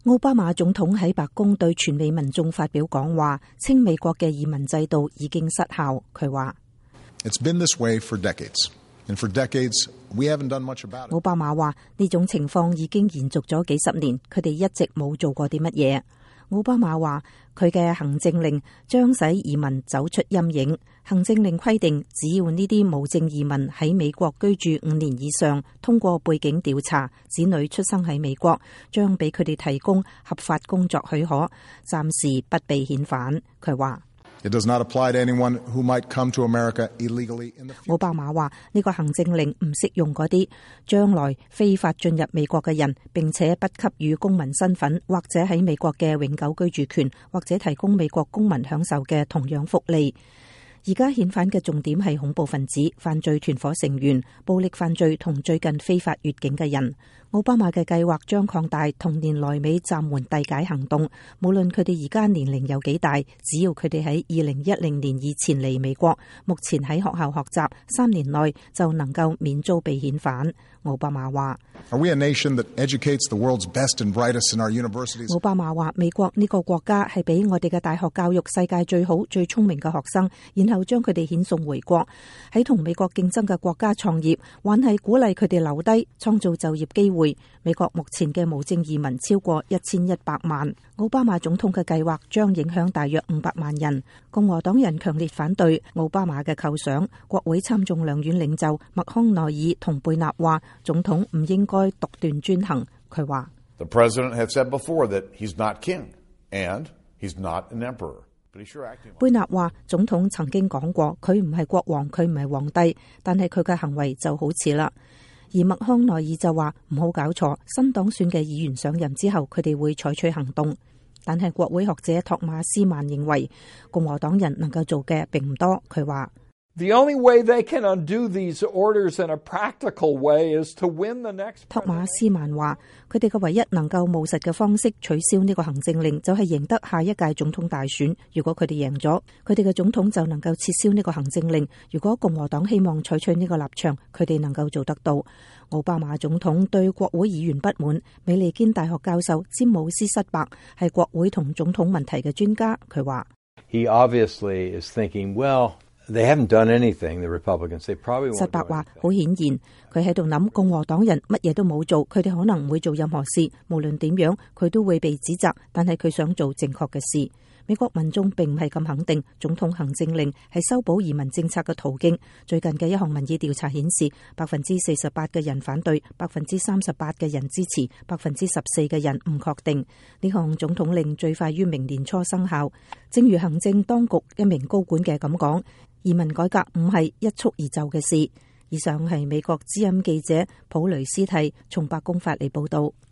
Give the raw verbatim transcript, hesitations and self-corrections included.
奧巴馬總統喺白宮對全美民眾發表講話，稱美國嘅移民制度已經失效。佢話：It's been this way for decades, and for decades we haven't done much about it. 奧巴馬話呢種情況已經延續咗幾十年，佢哋一直冇做過啲乜嘢。奧巴馬話佢嘅行政令將使移民走出陰影。行政令規定，只要呢啲無證移民喺美國居住五年以上，通過背景調查，子女出生喺美國，將俾佢哋提供合法工作許可，暫時不被遣返。佢話It does not apply to anyone who might come to America illegally in the future. 奧巴馬話呢個行政令唔適用嗰啲將來非法進入美國嘅人，並且不給予公民身份或者喺美國嘅永久居住權，或者提供美國公民享受嘅同樣福利。而家遣返嘅重點係恐怖分子、犯罪團伙成員、暴力犯罪同最近非法越境嘅人。奧巴馬嘅計劃將擴大同年來美暫緩遞解行動，無論佢哋而家年齡有幾大，只要佢哋喺二零一零年以前嚟美國，目前喺學校學習，三年內就能夠免遭被遣返。奧巴馬話：Are we a nation that educates the world's best and brightest in our universities? 奧巴馬話：美國呢個國家係俾我哋嘅大學教育世界最好、最聰明嘅學生，然後將佢哋遣送回國，喺同美國競爭嘅國家創業，還係鼓勵佢哋留低，創造就業機會。美國目前嘅無證移民超過一千一百萬。奧巴馬總統嘅計劃將影響大約五百萬人。共和黨人強烈反對奧巴馬嘅構想。國會參眾兩院領袖麥康奈爾同貝納話，總統唔應該獨斷專行。佢話：The president has said before that he's not king and he's not an emperor. 貝納話，總統曾經講過，佢唔係國王，佢唔係皇帝，但係佢嘅行為就好似啦。而麥康奈爾就話唔好搞錯，新黨選嘅議員上任之後，佢哋會採取行動。但係國會學者托馬斯曼認為，共和黨人能夠做嘅並唔多。佢話：The only way they can undo these orders in a practical way is to win the next. 托馬斯曼話，佢哋嘅唯一能夠務實嘅方式取消呢個行政令，就係贏得下一屆總統大選。如果佢哋贏咗，佢哋嘅總統就能夠撤銷呢個行政令。如果共和黨希望採取呢個立場，佢哋能夠做得到。奧巴馬總統對國會議員不滿。美利堅大學教授詹姆斯塞伯係國會同總統問題嘅專家，佢話：He obviously is thinking, well, they haven't done anything. The Republicans, they probably won't. 塞伯話：好顯然，佢喺度諗共和黨人乜嘢都冇做，佢哋可能唔會做任何事。無論點樣，佢都會被指責。但係佢想做正確嘅事。美國民眾並唔係咁肯定總統行政令係修補移民政策嘅途徑。最近嘅一項民意調查顯示，百分之四十八嘅人反對，百分之三十八嘅人支持，百分之十四嘅人唔確定。呢項總統令最快於明年初生效。正如行政當局一名高管嘅咁講，移民改革唔係一蹴而就嘅事。以上係美國之音記者普雷斯蒂從白宮發嚟報道。